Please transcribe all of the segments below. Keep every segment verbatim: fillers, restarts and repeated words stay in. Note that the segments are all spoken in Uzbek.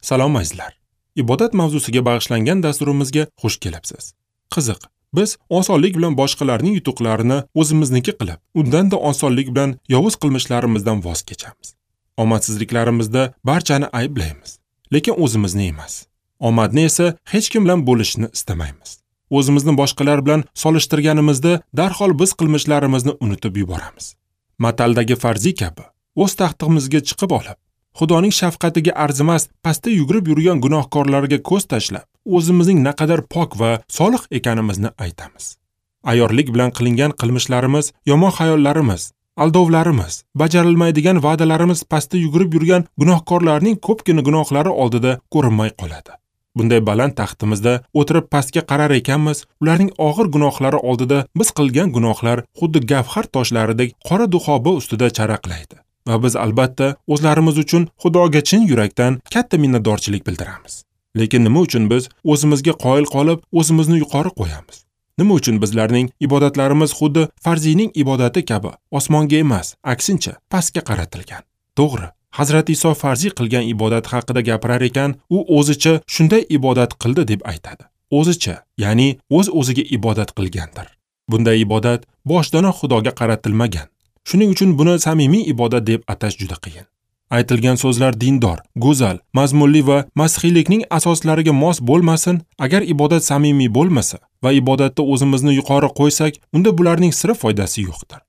Salom azizlar. Ibodat mavzusiga bag'ishlangan dasturimizga xush kelibsiz. Qiziq, biz osonlik bilan boshqalarning yutuqlarini o'zimizniki qilib, undan-da osonlik bilan yovuz qilmishlarimizdan voz kechamiz. Omadsizliklarimizda barchani ayblaymiz, lekin o'zimizni emas. Omadni esa hech kim bilan bo'lishni istamaymiz. O'zimizni boshqalar bilan solishtirganimizda darhol biz qilmishlarimizni unutib yuboramiz. Mataldagi farzi kabi o'z taxtimizga chiqib olib, Xudoning shafqatiga arzimas pastda yugurib yurgan gunohkorlarga ko'z tashlab, o'zimizning naqadar pok va solih ekanimizni aytamiz. Ayorlik bilan qilingan qilmishlarimiz, yomon xayollarimiz, aldovlarimiz, bajarilmaydigan va'dalarimiz pastda yugurib yurgan gunohkorlarning ko'pgina gunohlari oldida ko'rinmay qoladi. Bunday baland taxtimizda o'tirib pastga qarar ekanmiz, ularning og'ir gunohlari oldida biz qilgan gunohlar xuddi gavhar toshlaridek qora duxoba ustida charaqlaydi. Va biz albatta o'zlarimiz uchun Xudoga chin yurakdan katta minnatdorchilik bildiramiz. Lekin nima uchun biz o'zimizga qoyil qolib, o'zimizni yuqori qo'yamiz? Nima uchun bizlarning ibodatlarimiz xuddi farziyning ibodati kabi osmonga emas, aksincha pastga qaratilgan? To'g'ri, Hazrat Iso farziy qilgan ibodat haqida gapirar ekan, u o'zicha shunday ibodat qildi deb aytadi. O'zicha, ya'ni o'z-o'ziga ibodat qilgandir. Bunday ibodat boshdanoq Xudoga qaratilmagan. Shuning uchun buni samimiy ibodat deb atash juda qiyin. Aytilgan so'zlar dindor, go'zal, mazmunli va masihiylikning asoslariga mos bo'lmasin, agar ibodat samimiy bo'lmasa va ibodatda o'zimizni yuqori qo'ysak, unda bularning sira foydasi yo'qdir.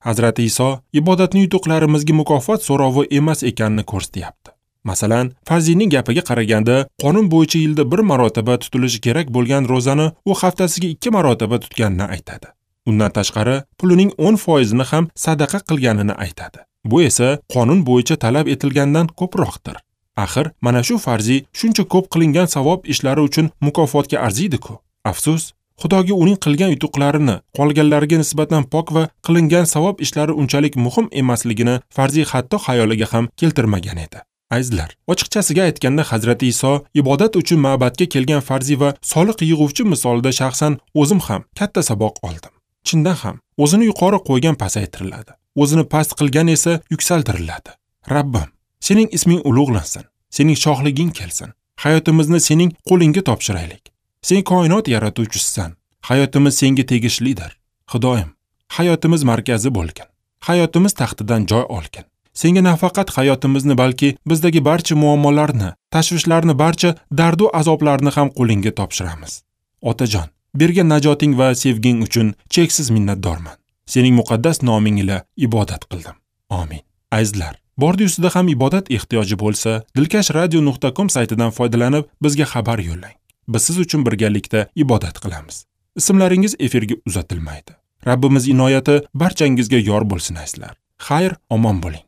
Hazrati Iso ibodatning yutuqlarimizga mukofot so'rovi emas ekanini ko'rsatyapti. Masalan, farziyning gapiga qaraganda, qonun bo'yicha yilda bir marotaba tutilishi kerak bo'lgan ro'zani u haftasiga ikki marotaba tutganini aytadi. Undan tashqari, pulining o'n foizini ham sadaqa qilganini aytadi. Bu esa qonun bo'yicha talab etilgandan ko'proqdir. Axir, mana shu farziy shuncha ko'p qilingan savob ishlari uchun mukofotga arziydi-ku. Afsus, Xudoga uning qilgan yutuqlarini qolganlarga nisbatan pok va qilingan savob ishlari unchalik muhim emasligini farziy hatto xayoliga ham keltirmagan edi. Azizlar, ochiqchasiga aytganda Hazrati Iso ibodat uchun ma'batga kelgan farziy va soliq yig'uvchi misolida shaxsan o'zim ham katta saboq oldim. Chindan ham, o'zini yuqori qo'ygan pasaytiriladi, o'zini past qilgan esa yuksaltiriladi. Rabbim, sening isming ulug'lansin, sening shohliging kelsin. Hayotimizni sening qo'lingga topshiraylik. Sen koinot yaratuvchisisan. Hayotimiz senga tegishlidir. Xudoyim, hayotimiz markazi bo'lgin. Hayotimiz taxtidan joy olgin. Senga nafaqat hayotimizni, balki bizdagi barcha muammolarni, tashvishlarni, barcha dardu azoblarni ham qo'lingga topshiramiz. Otajon, bergan najoting va sevging uchun cheksiz minnatdorman. Sening muqaddas noming ila ibodat qildim. Amin. Azizlar, bordi ustida ham ibodat ehtiyoji bo'lsa, dilkash radio nuqta com saytidan foydalanib bizga xabar yo'llang. Biz siz uchun birgalikda ibodat qilamiz. Ismlaringiz efirga uzatilmaydi. Rabbimiz inoyati barchangizga yor bo'lsin azizlar. Xayr, omon bo'ling.